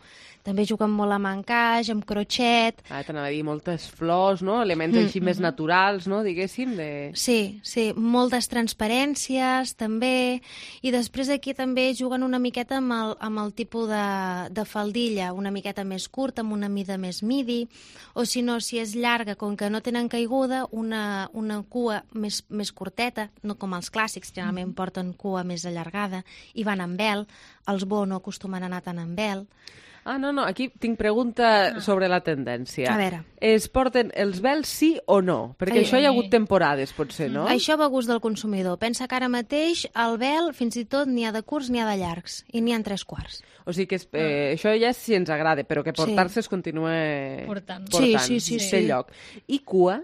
[SPEAKER 13] També juguen molt amb encaix, amb crotxet.
[SPEAKER 14] Ah, t'anava a dir moltes flors, no? Elements així més naturals, no? Diguéssim, de...
[SPEAKER 13] Sí, sí, moltes transparències, també. I després aquí també juguen una miqueta amb el, amb el tipus de, de faldilla, una miqueta més curta, amb una mida més midi, o si no, si és llarga, com que no tenen caiguda, una, una cua més, més curteta, no com els clàssics, generalment porten cua més allargada, i van amb vel. Els bo no acostumen a anar tant amb vel.
[SPEAKER 14] Ah, no, no, aquí tinc pregunta sobre la tendència.
[SPEAKER 13] A veure.
[SPEAKER 14] Es porten els vels sí o no? Perquè
[SPEAKER 13] Ai,
[SPEAKER 14] això hi ha hagut temporades, potser, no?
[SPEAKER 13] Això va a gust del consumidor. Pensa que ara mateix el vel, fins i tot, n'hi ha de curts, n'hi ha de llargs, i n'hi ha en tres quarts.
[SPEAKER 14] O sigui que és, eh, això ja és si ens agrada, però que portar-se
[SPEAKER 13] Sí.
[SPEAKER 14] es continua
[SPEAKER 5] Portant.
[SPEAKER 14] portant.
[SPEAKER 13] Sí, sí, sí,
[SPEAKER 14] Té
[SPEAKER 13] sí.
[SPEAKER 14] lloc. I cua?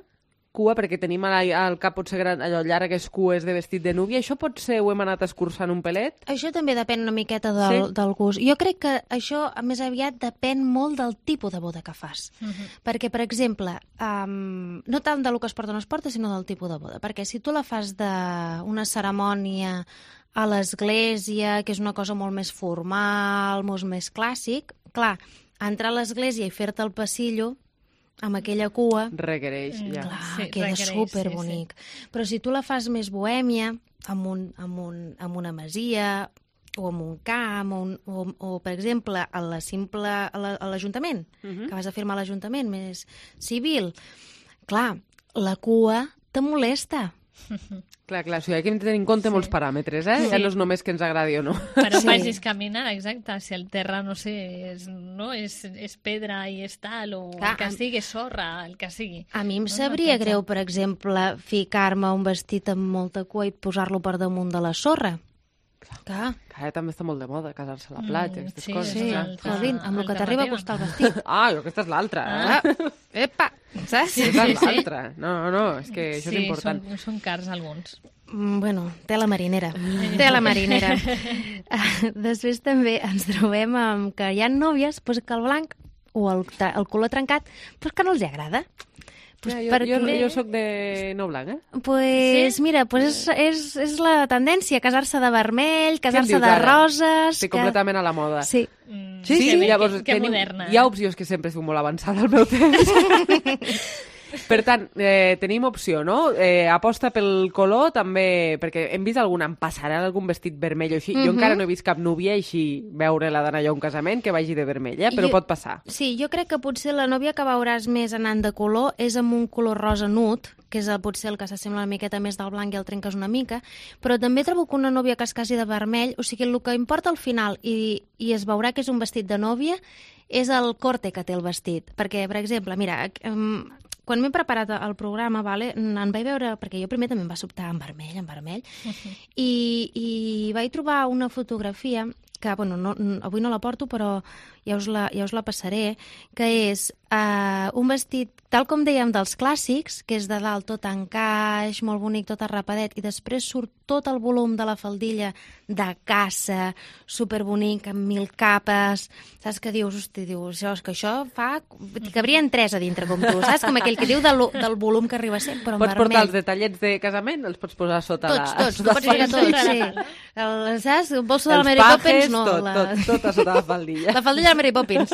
[SPEAKER 14] Cua, perquè tenim al, al cap potser gran, allò llargues cues de vestit de núvia. Això potser ho hem anat escurçant un pelet?
[SPEAKER 13] Això també depèn una miqueta del,
[SPEAKER 14] Sí?
[SPEAKER 13] del gust. Jo crec que això, més aviat, depèn molt del tipus de boda que fas.
[SPEAKER 5] Uh -huh.
[SPEAKER 13] Perquè, per exemple, um, no tant del que es porta o no es porta, sinó del tipus de boda. Perquè si tu la fas d'una cerimònia a l'església, que és una cosa molt més formal, molt més clàssic, clar, entrar a l'església i fer-te el passillo amb aquella cua...
[SPEAKER 14] Requereix, ja.
[SPEAKER 13] Clar,
[SPEAKER 5] Sí,
[SPEAKER 13] queda
[SPEAKER 5] requereix,
[SPEAKER 13] superbonic.
[SPEAKER 5] sí,
[SPEAKER 13] Però si tu la fas més bohèmia, amb, un, amb, un, amb una masia, o amb un camp, o, un, o, o per exemple, a la simple, a la- a l'Ajuntament,
[SPEAKER 14] Mhm.
[SPEAKER 13] que vas a firmar a l'Ajuntament, més civil, clar, la cua te molesta.
[SPEAKER 14] Clar, clar, o sigui, aquí hem de tenir en compte molts paràmetres, eh?
[SPEAKER 5] Sí.
[SPEAKER 14] Ja no és només que ens agradi o no.
[SPEAKER 5] Per on
[SPEAKER 13] Sí.
[SPEAKER 5] vagis caminant, exacte, si el terra, no sé, és, no, és, és pedra i és tal, o
[SPEAKER 13] Clar,
[SPEAKER 5] el que
[SPEAKER 13] am-
[SPEAKER 5] sigui, és sorra, el que sigui.
[SPEAKER 13] A mi em
[SPEAKER 5] No,
[SPEAKER 13] sabria
[SPEAKER 5] no, pensa.
[SPEAKER 13] greu, per exemple, ficar-me un vestit amb molta cua i posar-lo per damunt de la sorra. Clar.
[SPEAKER 14] Que ara també està molt de moda casar-se a la platja,
[SPEAKER 5] Mm,
[SPEAKER 14] aquestes
[SPEAKER 5] sí,
[SPEAKER 14] coses.
[SPEAKER 13] Sí,
[SPEAKER 5] una
[SPEAKER 14] clar.
[SPEAKER 5] altra-
[SPEAKER 13] Jolín, amb el que t'arriba a costar el
[SPEAKER 5] alternativa.
[SPEAKER 13] vestit.
[SPEAKER 14] Ah, jo, aquesta és l'altra, eh?
[SPEAKER 13] Ah, epa, saps?
[SPEAKER 14] Sí, aquesta és l'altra. No, no, és que això
[SPEAKER 5] sí,
[SPEAKER 14] és important.
[SPEAKER 5] Són, són cars alguns.
[SPEAKER 13] Mm, Bueno, tela marinera. Tela marinera. Ah, Després també ens trobem amb que hi ha nòvies pues, que el blanc o el, tra- el color trencat pues, que no els agrada. Pues,
[SPEAKER 14] Ja, jo,
[SPEAKER 13] perquè-
[SPEAKER 14] jo, jo soc de no blanc, eh?
[SPEAKER 13] Pues
[SPEAKER 5] Sí?
[SPEAKER 13] mira, pues és, és, és la tendència, casar-se de vermell, casar-se
[SPEAKER 14] dius
[SPEAKER 13] de
[SPEAKER 14] ara?
[SPEAKER 13] roses...
[SPEAKER 14] Estic
[SPEAKER 13] que-
[SPEAKER 14] completament a la moda.
[SPEAKER 13] Sí.
[SPEAKER 5] Mm,
[SPEAKER 14] Sí,
[SPEAKER 5] que
[SPEAKER 14] sí,
[SPEAKER 5] bé,
[SPEAKER 14] llavors
[SPEAKER 5] que, que
[SPEAKER 14] tenim,
[SPEAKER 5] moderna.
[SPEAKER 14] hi ha opcions que sempre estic molt avançada al meu temps. Per tant, eh, tenim opció, no? Eh, aposta pel color, també, perquè hem vist alguna, em passarà algun vestit vermell o així. Jo
[SPEAKER 13] Mhm.
[SPEAKER 14] encara no he vist cap núvia així veure-la d'anar allò a un casament que vagi de vermell, eh? Però
[SPEAKER 13] Jo-
[SPEAKER 14] pot passar.
[SPEAKER 13] Sí, jo crec que potser la nòvia que veuràs més anant de color és amb un color rosa nut, que és el, potser el que s'assembla una miqueta més del blanc i el trenques una mica, però també trobo que una nòvia que es casi de vermell, o sigui, el que importa al final, i, i es veurà que és un vestit de nòvia, és el corte que té el vestit. Perquè, per exemple, mira, um, quan m'he preparat el programa, vale, en vaig veure, perquè jo primer també em va sobtar en vermell, en vermell, i, i vaig trobar una fotografia que, bueno, no, no, avui no la porto, però ja us la, ja us la passaré, que és uh, un vestit, tal com dèiem, dels clàssics, que és de dalt tot encaix, molt bonic, tot arrapadet, i després surt tot el volum de la faldilla de caça, superbonic, amb mil capes, saps que dius, hosti, dius, això, és que això fa... que cabrien tres a dintre, com tu, saps? Com aquell que diu del, del volum que arriba a ser, però en
[SPEAKER 14] Pots
[SPEAKER 13] vermell.
[SPEAKER 14] portar els detallets de casament, els pots posar sota
[SPEAKER 13] Tots,
[SPEAKER 14] la...
[SPEAKER 13] tots, tu
[SPEAKER 14] sota
[SPEAKER 13] pots
[SPEAKER 14] la
[SPEAKER 13] ficar
[SPEAKER 14] faldilla.
[SPEAKER 13] tots, sí. El, saps? El bolso de la
[SPEAKER 14] Els
[SPEAKER 13] Mary
[SPEAKER 14] pajes,
[SPEAKER 13] Poppins, no.
[SPEAKER 14] tot,
[SPEAKER 13] la...
[SPEAKER 14] tot, tot a sota la faldilla.
[SPEAKER 13] La faldilla de la Mary Poppins.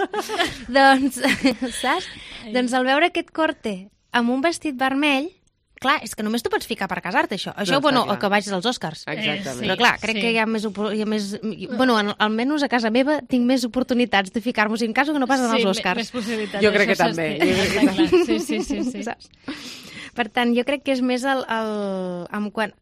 [SPEAKER 13] doncs, saps? Doncs al veure aquest corte amb un vestit vermell, clar, és que només tu pots ficar per casar-te, això. Això,
[SPEAKER 14] No,
[SPEAKER 13] bueno,
[SPEAKER 14] està clar.
[SPEAKER 13] o que vagis als Oscars.
[SPEAKER 14] Exactament.
[SPEAKER 13] Però clar, crec
[SPEAKER 5] sí.
[SPEAKER 13] que hi ha més... opor- Hi ha més bueno, en- almenys a casa meva tinc més oportunitats de ficar-me en caso que no pas en
[SPEAKER 5] Sí,
[SPEAKER 13] els
[SPEAKER 5] me-
[SPEAKER 13] Oscars.
[SPEAKER 5] més possibilitats.
[SPEAKER 14] Jo crec
[SPEAKER 5] això
[SPEAKER 14] que també,
[SPEAKER 5] s'estén.
[SPEAKER 14] jo crec que
[SPEAKER 5] Està clar. Sí, sí, sí. sí.
[SPEAKER 13] Saps? Per tant, jo crec que és més el, el, en quant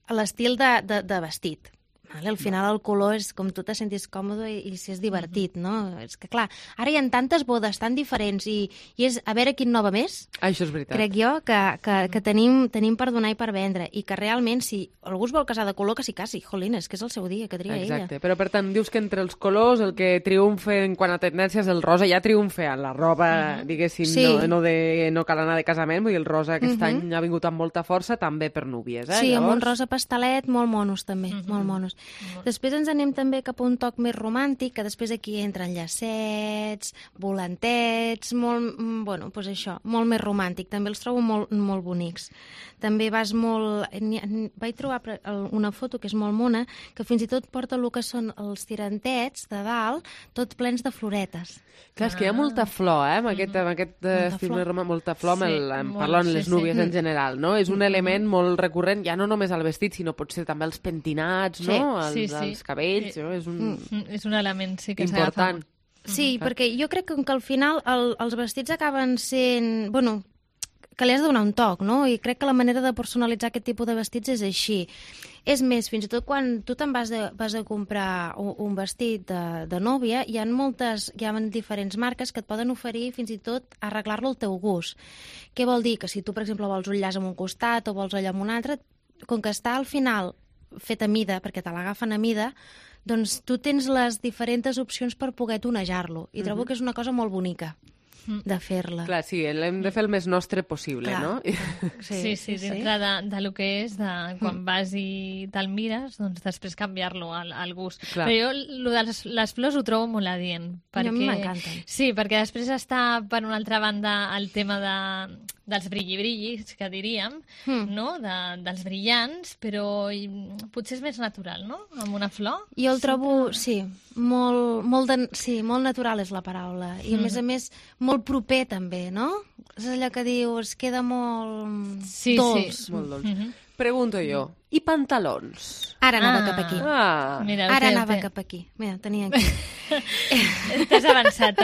[SPEAKER 13] a l'estil de, de, de vestit. Vale? Al final el color és com tu te sentis còmode i, i si és divertit, no? És que clar, ara hi ha tantes bodes tan diferents i, i és a veure quin nova més,
[SPEAKER 14] Això és veritat.
[SPEAKER 13] crec jo, que, que, que tenim, tenim per donar i per vendre i que realment si algú es vol casar de color que s'hi casi, jolín, és que és el seu dia, que tria
[SPEAKER 14] Exacte,
[SPEAKER 13] ella.
[SPEAKER 14] però per tant, dius que entre els colors el que triomfa en quant a tendències el rosa ja triomfa en la roba, diguéssim,
[SPEAKER 13] Sí.
[SPEAKER 14] no, no, de, no cal anar de casament, vull dir, el rosa aquest
[SPEAKER 13] Mhm.
[SPEAKER 14] any ha vingut amb molta força també per núvies, eh?
[SPEAKER 13] Sí, amb un
[SPEAKER 14] Llavors,
[SPEAKER 13] rosa pastelet, molt monos també, molt monos. Després ens anem també cap a un toc més romàntic, que després aquí entren llacets, volantets, molt, bueno, doncs això, molt més romàntic. També els trobo molt, molt bonics. També vas molt... Vaig trobar una foto que és molt mona, que fins i tot porta el que són els tirantets de dalt, tot plens de floretes.
[SPEAKER 14] Clar, és que hi ha molta flor, eh, amb aquest, amb aquest estil més romàntic, molta flor, amb el, en parlant les núvies en general, no? És un element molt recurrent, ja no només al vestit, sinó potser també als pentinats, no? Els, els cabells, no? És un...
[SPEAKER 5] És un element, sí, que
[SPEAKER 14] important.
[SPEAKER 13] Sí, perquè jo crec que al final el, els vestits acaben sent... Bueno, que li has de donar un toc, no? I crec que la manera de personalitzar aquest tipus de vestits és així. És més, fins i tot quan tu te'n vas, de, vas a comprar un, un vestit de, de nòvia, hi ha moltes, hi ha diferents marques que et poden oferir fins i tot arreglar-lo al teu gust. Què vol dir? Que si tu, per exemple, vols un llaç en un costat o vols allò en un altre, com que està al final fet a mida, perquè te l'agafen a mida, doncs tu tens les diferents opcions per poder tonejar-lo. I trobo que és una cosa molt bonica de fer-la.
[SPEAKER 14] Clar, sí, l'hem de fer el més nostre possible,
[SPEAKER 13] Clar.
[SPEAKER 14] no?
[SPEAKER 5] Sí, sí, sí, dintre de, de lo que és, de quan vas i te'l mires, doncs després canviar-lo al, al gust.
[SPEAKER 14] Clar.
[SPEAKER 5] Però jo lo de les, les flors ho trobo molt adient. Perquè...
[SPEAKER 13] A mi m'encanten.
[SPEAKER 5] Sí, perquè després està, per una altra banda, el tema de, dels brilli-brillis, que diríem, mm. no? De, dels brillants, però i, potser és més natural, no? Amb una flor.
[SPEAKER 13] Jo el trobo, sí, molt, molt, de, sí, molt natural és la paraula. I a mm. més a més, molt proper també, no? És allò que dius, queda molt
[SPEAKER 5] sí,
[SPEAKER 13] dolç.
[SPEAKER 5] Sí.
[SPEAKER 14] Molt dolç. Mm-hmm. Pregunto jo, i pantalons?
[SPEAKER 13] Ara anava
[SPEAKER 5] ah.
[SPEAKER 13] cap aquí.
[SPEAKER 14] Ah.
[SPEAKER 5] Mira,
[SPEAKER 13] Ara
[SPEAKER 5] té,
[SPEAKER 13] anava
[SPEAKER 5] té.
[SPEAKER 13] cap aquí. Mira, tenia aquí.
[SPEAKER 5] T'has avançat,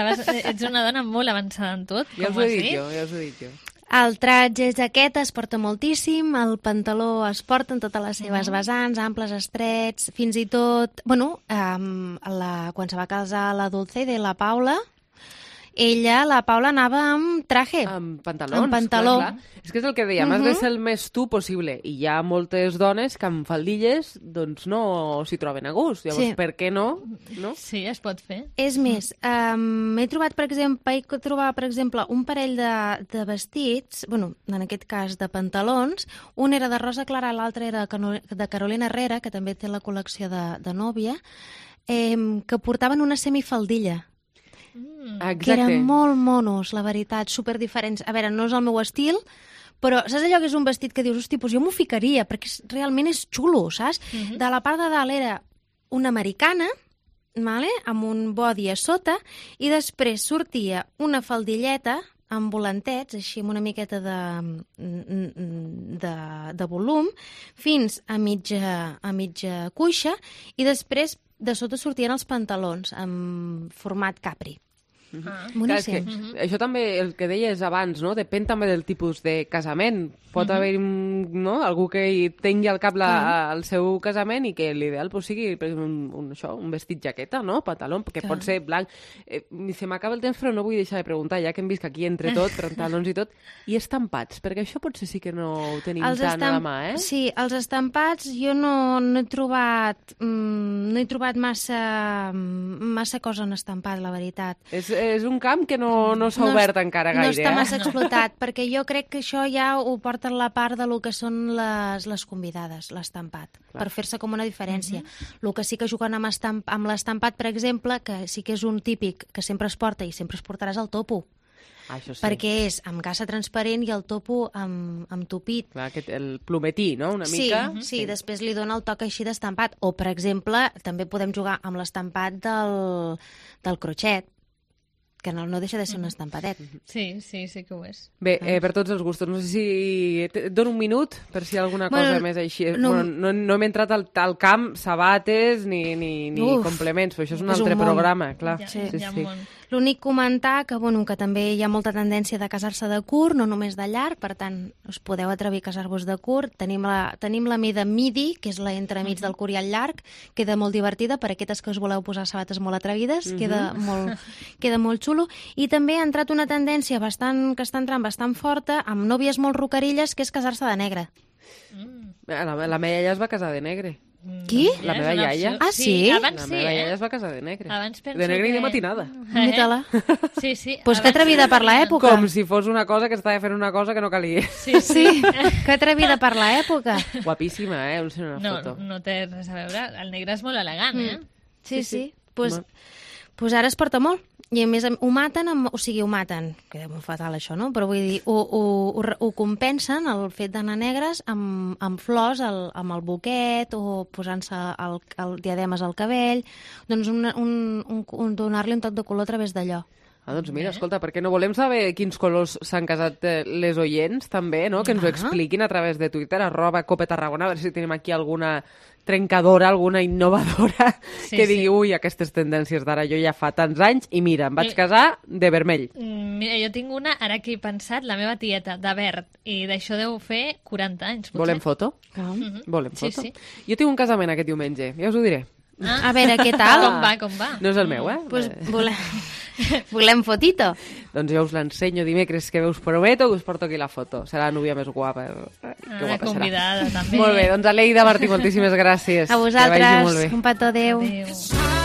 [SPEAKER 5] ets una dona molt avançada en tot,
[SPEAKER 14] ja
[SPEAKER 5] com
[SPEAKER 14] us ho
[SPEAKER 5] has
[SPEAKER 14] he
[SPEAKER 5] dit.
[SPEAKER 14] dit jo, ja us ho he dit jo.
[SPEAKER 13] El traje jaqueta es porta moltíssim, el pantaló es porta en totes les seves vessants, amples, estrets, fins i tot... Bueno, um, la, quan se va casar la Dulce de la Paula, ella, la Paula, anava amb traje.
[SPEAKER 14] Amb pantalons,
[SPEAKER 13] amb pantaló.
[SPEAKER 14] clar, clar. És que és el que dèiem, uh -huh. has de ser el més tu possible. I hi ha moltes dones que amb faldilles doncs no s'hi troben a gust. Llavors,
[SPEAKER 13] Sí.
[SPEAKER 14] per què no? no?
[SPEAKER 5] Sí, es pot fer.
[SPEAKER 13] És més, um, m'he trobat, per exemple, vaig trobar, per exemple, un parell de, de vestits, bueno, en aquest cas de pantalons, un era de Rosa Clara, l'altre era de Carolina Herrera, que també té la col·lecció de, de nòvia, eh, que portaven una semifaldilla.
[SPEAKER 14] Exacte.
[SPEAKER 13] Que eren molt monos, la veritat, super diferents. A veure, no és el meu estil, però saps allò que és un vestit que dius, hosti, doncs jo m'ho ficaria, perquè és, realment és xulo, saps? Uh -huh. De la part de dalt era una americana, vale? Amb un body a sota, i després sortia una faldilleta amb volantets, així amb una miqueta de, de, de volum, fins a mitja, a mitja cuixa, i després de sota sortien els pantalons en format capri.
[SPEAKER 14] Uh -huh.
[SPEAKER 13] Ah.
[SPEAKER 14] Clar, és que,
[SPEAKER 13] Uh -huh.
[SPEAKER 14] això també, el que deies abans, no? Depèn també del tipus de casament. Pot uh -huh. haver no? algú que hi tingui al cap la, el seu casament i que l'ideal pues, sigui per exemple, un, un, això, un vestit jaqueta, no? Pantaló, que
[SPEAKER 13] Clar.
[SPEAKER 14] pot ser blanc. Eh, se m'acaba el temps, però no vull deixar de preguntar, ja que hem vist que aquí entre tot, pantalons i tot, i estampats, perquè això potser sí que no ho tenim
[SPEAKER 13] Els
[SPEAKER 14] tant a la
[SPEAKER 13] estamp-
[SPEAKER 14] mà, eh?
[SPEAKER 13] Sí, els estampats jo no, no he trobat mm, no he trobat massa, massa cosa en estampat, la veritat.
[SPEAKER 14] És, és un camp que no, no s'ha
[SPEAKER 13] No
[SPEAKER 14] obert
[SPEAKER 13] es-
[SPEAKER 14] encara gaire,
[SPEAKER 13] No està massa
[SPEAKER 14] eh?
[SPEAKER 13] explotat, perquè jo crec que això ja ho porta la part de lo que són les, les convidades, l'estampat, per fer-se com una diferència. El que sí que juguen amb, estamp, amb l'estampat, per exemple, que sí que és un típic que sempre es porta i sempre es portarà, és el topo.
[SPEAKER 14] Ah, això sí.
[SPEAKER 13] Perquè és amb gassa transparent i el topo amb, amb tupit.
[SPEAKER 14] Clar, aquest, el plometí, no? Una
[SPEAKER 13] Sí,
[SPEAKER 14] mica.
[SPEAKER 13] sí, sí, després li dona el toc així d'estampat. O, per exemple, també podem jugar amb l'estampat del, del crotxet, que no, no deixa de ser un estampadet.
[SPEAKER 5] Sí, sí, sí que ho és.
[SPEAKER 14] Bé, eh, per tots els gustos. No sé si... Et dono un minut per si hi ha alguna cosa
[SPEAKER 13] Bueno,
[SPEAKER 14] més així.
[SPEAKER 13] no-
[SPEAKER 14] Bueno, no, no hem entrat al, al camp, sabates ni, ni, ni
[SPEAKER 13] Uf,
[SPEAKER 14] complements, però això és un
[SPEAKER 13] és un
[SPEAKER 14] altre
[SPEAKER 13] món.
[SPEAKER 14] programa, clar.
[SPEAKER 5] Ja,
[SPEAKER 14] sí,
[SPEAKER 5] hi ha
[SPEAKER 14] sí.
[SPEAKER 5] un món.
[SPEAKER 13] L'únic comentar que, bueno, que també hi ha molta tendència de casar-se de curt, no només de llarg, per tant, us podeu atrevir a casar-vos de curt. Tenim la, tenim la mida midi, que és la entremig del curt i el llarg, queda molt divertida per a aquestes que us voleu posar sabates molt atrevides, queda, molt, queda molt xulo. I també ha entrat una tendència bastant, que està entrant bastant forta, amb nòvies molt rocarilles, que és casar-se de negre.
[SPEAKER 14] La, la Meia ja es va casar de negre.
[SPEAKER 13] Qui?
[SPEAKER 14] La meva iaia.
[SPEAKER 13] Ah, sí?
[SPEAKER 14] La meva iaia es va casar de negre.
[SPEAKER 5] Abans penso
[SPEAKER 14] de negre
[SPEAKER 5] que...
[SPEAKER 14] i de matinada.
[SPEAKER 13] Mira-la.
[SPEAKER 5] Sí, sí.
[SPEAKER 13] Pues que atrevida per l'època.
[SPEAKER 14] Com si fos una cosa que estava fent una cosa que no calia.
[SPEAKER 5] Sí,
[SPEAKER 13] sí. Que atrevida per l'època.
[SPEAKER 14] Guapíssima, eh? Us una
[SPEAKER 5] no,
[SPEAKER 14] foto.
[SPEAKER 5] No té res a veure. El negre és molt elegant, eh?
[SPEAKER 13] Sí, sí. Pues, pues ara es porta molt. I a més ho maten, amb, o sigui, ho maten, queda molt fatal això, no? Però vull dir, ho, ho, ho, ho compensen el fet d'anar negres amb, amb flors, el, amb el buquet o posant-se el, el diademes al cabell, doncs un, un, un, un, donar-li un toc de color a través d'allò.
[SPEAKER 14] Ah, doncs mira, escolta, perquè no volem saber quins colors s'han casat les oients, també, no? Que ens ho expliquin a través de Twitter, arroba Cope Tarragona, a veure si tenim aquí alguna trencadora, alguna innovadora sí, que digui, sí. ui, aquestes tendències d'ara jo ja fa tants anys i mira, em vaig casar de vermell.
[SPEAKER 5] Mira, jo tinc una, ara que he pensat, la meva tieta, de verd, i d'això deu fer quaranta anys, potser.
[SPEAKER 14] Volem foto?
[SPEAKER 13] Ah.
[SPEAKER 5] Mm-hmm.
[SPEAKER 14] Volem
[SPEAKER 5] sí,
[SPEAKER 14] foto?
[SPEAKER 5] Sí.
[SPEAKER 14] Jo tinc un casament aquest diumenge, ja us ho diré.
[SPEAKER 13] Ah. A veure, què tal?
[SPEAKER 5] Com va, com va?
[SPEAKER 14] No és el meu, eh?
[SPEAKER 13] Pues volem, volem fotito.
[SPEAKER 14] Doncs jo us l'ensenyo dimecres, que us prometo que us porto aquí la foto. Serà la núvia més guapa. Que
[SPEAKER 5] ah,
[SPEAKER 14] guapa
[SPEAKER 5] convidada,
[SPEAKER 14] serà.
[SPEAKER 5] també.
[SPEAKER 14] Molt bé, doncs Aleida Martí, moltíssimes gràcies.
[SPEAKER 13] A vosaltres, un petó, adéu.
[SPEAKER 5] Adéu.